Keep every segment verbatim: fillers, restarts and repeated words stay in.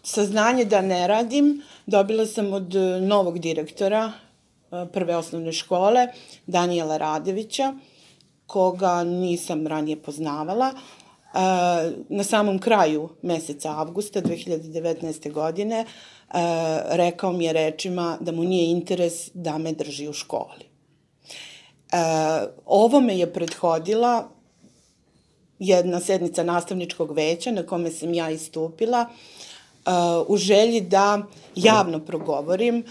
saznanje da ne radim dobila sam od novog direktora prve osnovne škole, Danijela Radevića, koga nisam ranije poznavala. Na samom kraju meseca avgusta dve hiljade devetnaeste. godine rekao mi je rečima da mu nije interes da me drži u školi. Ovo me je prethodila jedna sednica nastavničkog veća na kome sam ja istupila u želji da javno progovorim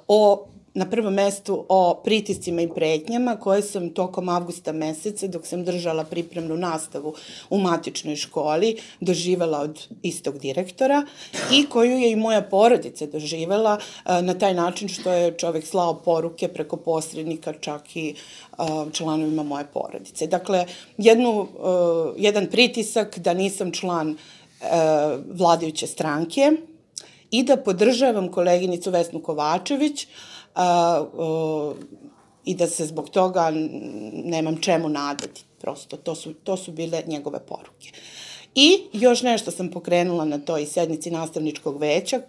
o na prvom mestu o pritiscima i pretnjama koje sam tokom avgusta meseca, dok sam držala pripremnu nastavu u matičnoj školi, doživela od istog direktora i koju je i moja porodica doživela na taj način što je čovek slao poruke preko posrednika čak i članovima moje porodice. Dakle, jednu, jedan pritisak da nisam član vladajuće stranke i da podržavam koleginicu Vesnu Kovačević, A, o, i da se zbog toga nemam čemu nadati. Prosto, to su, to su bile njegove poruke. I još nešto sam pokrenula na toj sednici nastavničkog veća,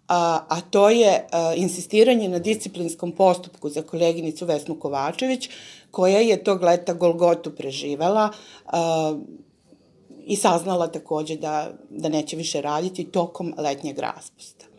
a, a to je a, insistiranje na disciplinskom postupku za koleginicu Vesnu Kovačević, koja je tog leta Golgotu preživela a, i saznala takođe da, da neće više raditi tokom letnjeg raspusta.